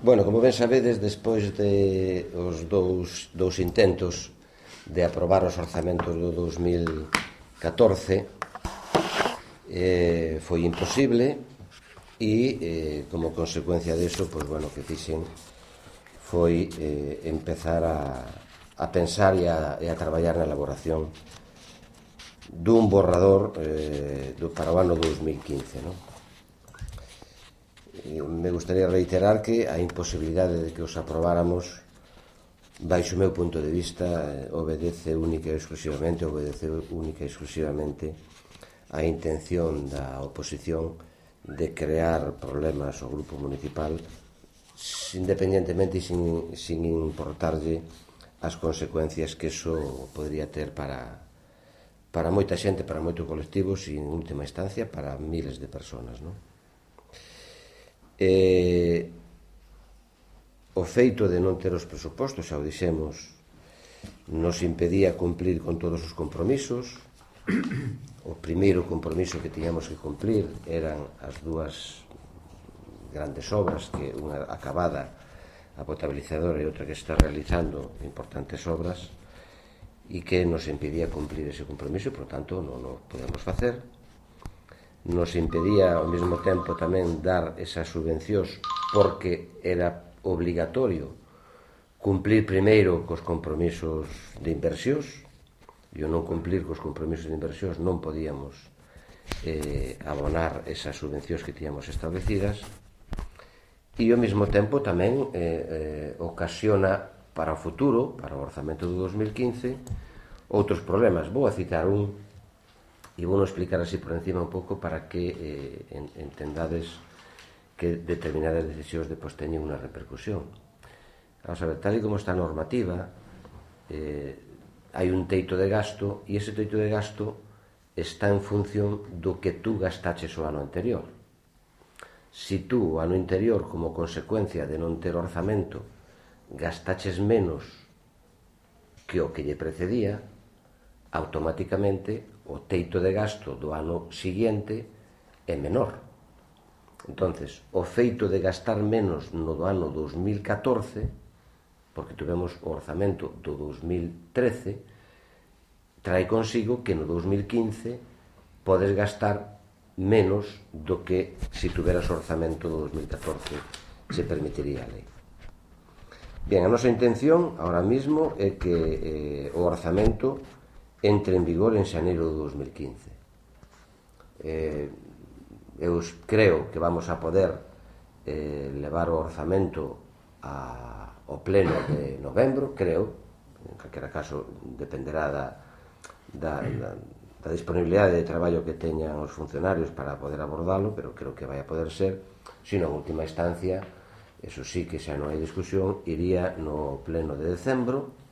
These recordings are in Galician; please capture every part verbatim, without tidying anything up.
Bueno, como ben sabedes, despois de os dous, dous intentos de aprobar os orzamentos do dous mil catorce, eh, foi imposible e, eh, como consecuencia disso, pois, bueno, que fixen foi eh, empezar a, a pensar e a, e a traballar na elaboración dun borrador eh, do, para o ano dous mil quince, non? Me gustaría reiterar que a imposibilidade de que os aprobáramos, baixo o meu punto de vista, obedece única e exclusivamente obedece única e exclusivamente a intención da oposición de crear problemas ao grupo municipal independentemente e sin, sin importarlle as consecuencias que eso podría ter para para moita xente, para moitos colectivos e en última instancia para miles de personas, non? Eh, o feito de non ter os presupostos, xa o dixemos, nos impedía cumplir con todos os compromisos. O primeiro compromiso que tiñamos que cumplir eran as dúas grandes obras, que unha acabada, a potabilizadora, e outra que está realizando importantes obras, e que nos impedía cumplir ese compromiso e, por tanto, non o podemos facer. Nos impedía ao mesmo tempo tamén dar esas subvencións porque era obligatorio cumplir primeiro cos compromisos de inversións, e ao non cumplir cos compromisos de inversións non podíamos eh, abonar esas subvencións que tiñamos establecidas, e ao mesmo tempo tamén eh, eh, ocasiona para o futuro, para o orzamento do dous mil quince, outros problemas. Vou a citar un e vou explicar así por encima un pouco para que eh, entendades que determinadas decisións depois teñen unha repercusión. Vamos a ver, tal e como está a normativa, eh, hai un teito de gasto e ese teito de gasto está en función do que tú gastaches o ano anterior. Si tú o ano anterior, como consecuencia de non ter orzamento, gastaches menos que o que lle precedía, automáticamente o teito de gasto do ano seguinte é menor. Entonces, o feito de gastar menos no do ano dous mil catorce, porque tuvemos o orzamento do dous mil trece, trae consigo que no dous mil quince podes gastar menos do que se tuveras o orzamento do dous mil catorce se permitiría a lei. Bien, a nosa intención ahora mismo é que eh, o orzamento entre en vigor en xaneiro do dous mil quince. Eh, eu creo que vamos a poder eh, levar o orzamento a, ao pleno de novembro, creo, en calquera caso dependerá da, da, da, da disponibilidade de traballo que teñan os funcionarios para poder abordalo, pero creo que vai a poder ser, sino en última instancia, eso sí que xa non hai discusión, iría no pleno de decembro.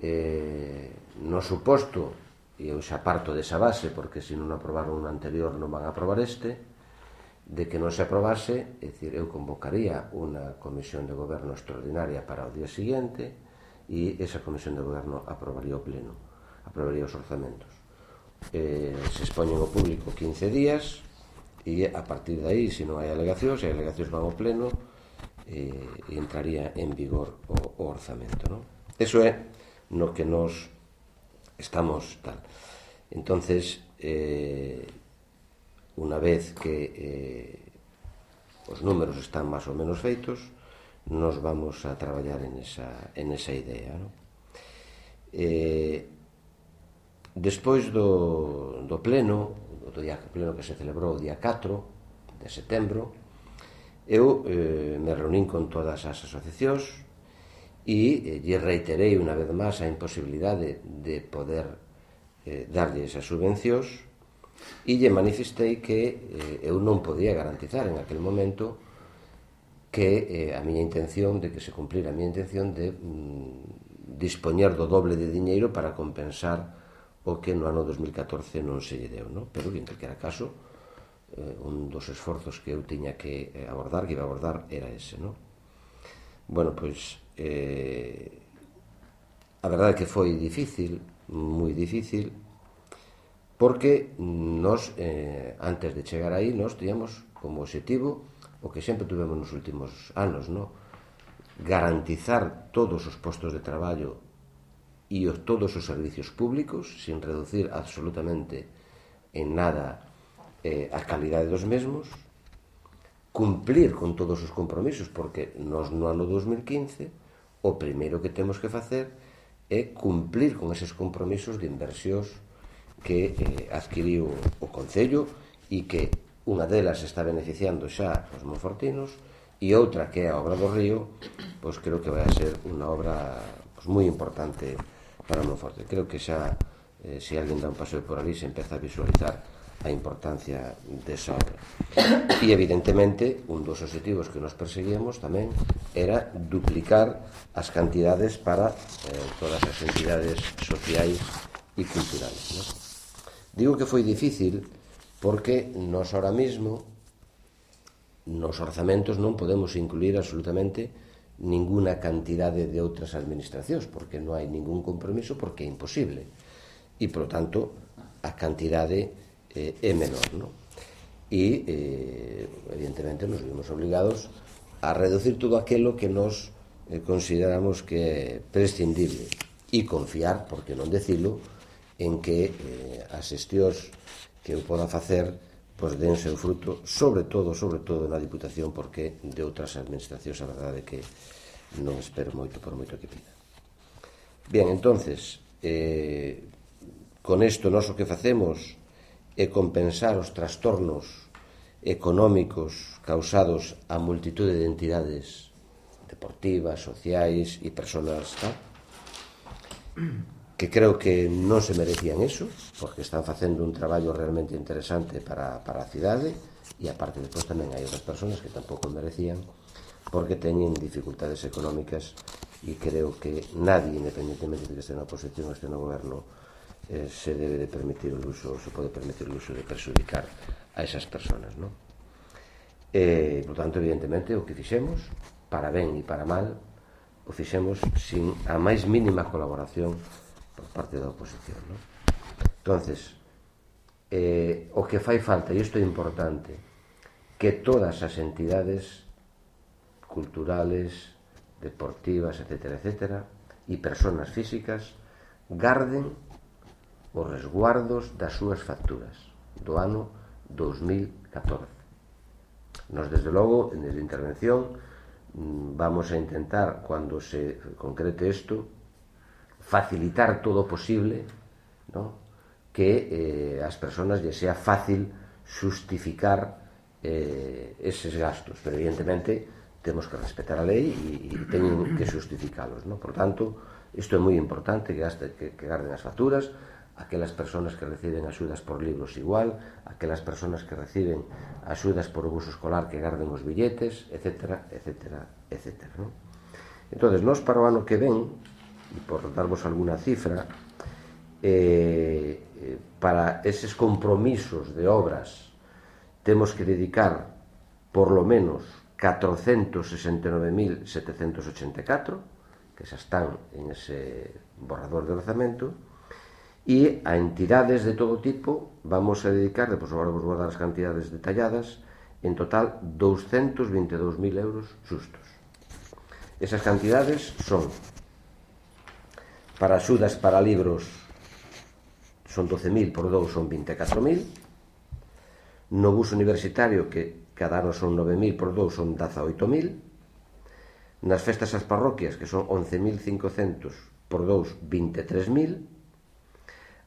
Eh, no suposto, e eu xa parto desa base, porque se non aprobaron un anterior non van a aprobar este, de que non se aprobase, é dicir, eu convocaría unha comisión de goberno extraordinaria para o día seguinte e esa comisión de goberno aprobaría o pleno, aprobaría os orzamentos. Eh, se expoñen ao público quince días e a partir de aí, se non hai alegacións, se hai alegacións van ao pleno eh, e entraría en vigor o, o orzamento, non? Eso é no que nos estamos tal. Entonces, eh, unha vez que eh, os números están máis ou menos feitos, nos vamos a traballar en esa, en esa idea, non? Eh, despois do, do pleno, do día, pleno que se celebrou o día catro de setembro, eu eh, me reunín con todas as asociacións e lle reiterei unha vez máis a imposibilidade de poder eh, darlle esas subvencións e lle manifestei que eh, eu non podía garantizar en aquel momento que eh, a miña intención de que se cumplira a miña intención de mm, dispoñer do doble de diñeiro para compensar o que no ano dos mil catorce non se lle deu, non? Pero que en calquera caso eh, un dos esforzos que eu tiña que abordar, que iba a abordar, era ese, non? Bueno, pois Eh, a verdade é que foi difícil, moi difícil, porque nos, eh, antes de chegar aí, nos teníamos como objetivo o que sempre tuvemos nos últimos anos, no? Garantizar todos os postos de traballo e os, todos os servicios públicos sin reducir absolutamente en nada eh, a calidade dos mesmos, cumplir con todos os compromisos, porque nos no ano dos mil quince o primeiro que temos que facer é cumplir con eses compromisos de inversións que eh, adquiriu o Concello e que unha delas está beneficiando xa os monfortinos e outra que é a obra do río, pois creo que vai a ser unha obra pois, moi importante para Monforte. Creo que xa, eh, se alguén dá un paseo por ali, se empeza a visualizar a importancia desa obra. E, evidentemente, un dos objetivos que nos perseguíamos tamén era duplicar as cantidades para eh, todas as entidades sociais e culturales, ¿no? Digo que foi difícil porque nos ahora mismo nos orzamentos non podemos incluir absolutamente ninguna cantidade de outras administracións, porque non hai ningún compromiso, porque é imposible. E, por lo tanto, a cantidade eh, é menor, non? E, eh, evidentemente, nos vimos obligados a reducir todo aquilo que nos eh, consideramos que é prescindible e confiar, porque non decilo, en que eh, as xestións que eu poda facer pois den seu fruto, sobre todo, sobre todo na Diputación, porque de outras administracións a verdade que non espero moito por moito que pida. Bien, entonces, eh, con isto nós o que facemos é compensar os trastornos económicos causados a multitude de entidades deportivas, sociais e persoas, tal, que creo que non se merecían eso, porque están facendo un traballo realmente interesante para, para a cidade, e aparte depois tamén hai outras persoas que tampouco merecían, porque teñen dificultades económicas, e creo que nadie, independentemente de que este na oposición ou este no goberno, eh, se debe de permitir o uso, se pode permitir o uso de perjudicar a esas persoas, non? E, por tanto, evidentemente, o que fixemos, para ben e para mal, o fixemos sin a máis mínima colaboración por parte da oposición, non? Entonces, eh, o que fai falta, e isto é importante, que todas as entidades culturales, deportivas, etcétera, etcétera, e persoas físicas garden os resguardos das súas facturas do ano dos mil catorce. Nos, desde logo, desde a intervención, vamos a intentar, cando se concrete isto, facilitar todo o posible, ¿no? Que eh, as persoas lle sea fácil justificar eh, eses gastos, pero evidentemente temos que respetar a lei e, e teñen que justificalos, ¿no? Por tanto, isto é moi importante, que, gaste, que, que garden as facturas, aquelas persoas que reciben axudas por libros igual, aquelas persoas que reciben axudas por o buso escolar que garden os billetes, etcétera, etcétera, etcétera, ¿no? Entón, nós para o ano que ven, e por darvos alguna cifra, eh, para eses compromisos de obras temos que dedicar por lo menos catrocentos sesenta e nove mil setecentos ochenta e catro, que xa están en ese borrador de orzamento, e a entidades de todo tipo vamos a dedicar, depois agora vos vou dar as cantidades detalladas, en total doscientos veinte e dous mil euros xustos. Esas cantidades son: para axudas para libros son doce mil por dous, son vinte e catro mil. No bus universitario, que cada ano son nove mil por dous, son dezaoito mil. Nas festas ás parroquias, que son once mil cincocentos por dous, vinte e tres mil.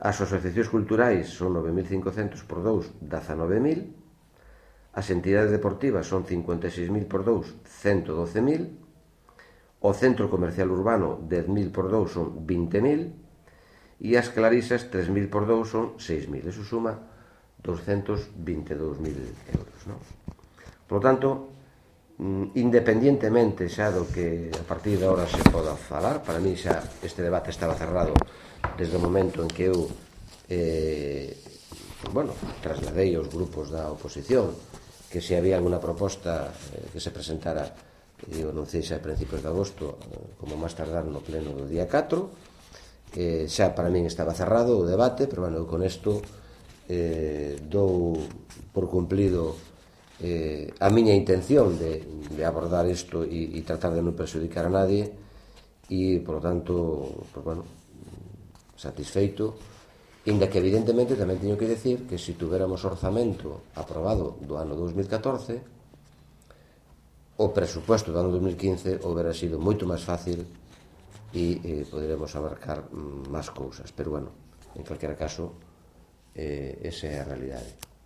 As asociacións culturais son nove mil cincocentos por dous, dezanove mil. As entidades deportivas son cincuenta e seis mil por dous, ciento doce mil. O centro comercial urbano, dez mil por dous, son vinte mil, e as clarisas, tres mil por dous, son seis mil. Eso suma doscientos veinte e dous mil euros, non? Por lo tanto, independientemente xa do que a partir de ahora se poda falar, para mí xa este debate estaba cerrado desde o momento en que eu eh, bueno, trasladei aos grupos da oposición que se había alguna proposta eh, que se presentara, eu anunciei xa a principios de agosto, como máis tardar no pleno do día catro, que xa para min estaba cerrado o debate, pero bueno, con isto eh, dou por cumplido eh, a miña intención de, de abordar isto e, e tratar de non perxudicar a nadie, e, por lo tanto, pues, bueno, satisfeito, inda que evidentemente tamén teño que decir que se tuviéramos orzamento aprobado do ano dos mil catorce, o presupuesto do ano dos mil quince houbera sido moito máis fácil e eh, poderemos abarcar máis cousas, pero bueno, en calquera caso, eh, esa é a realidade.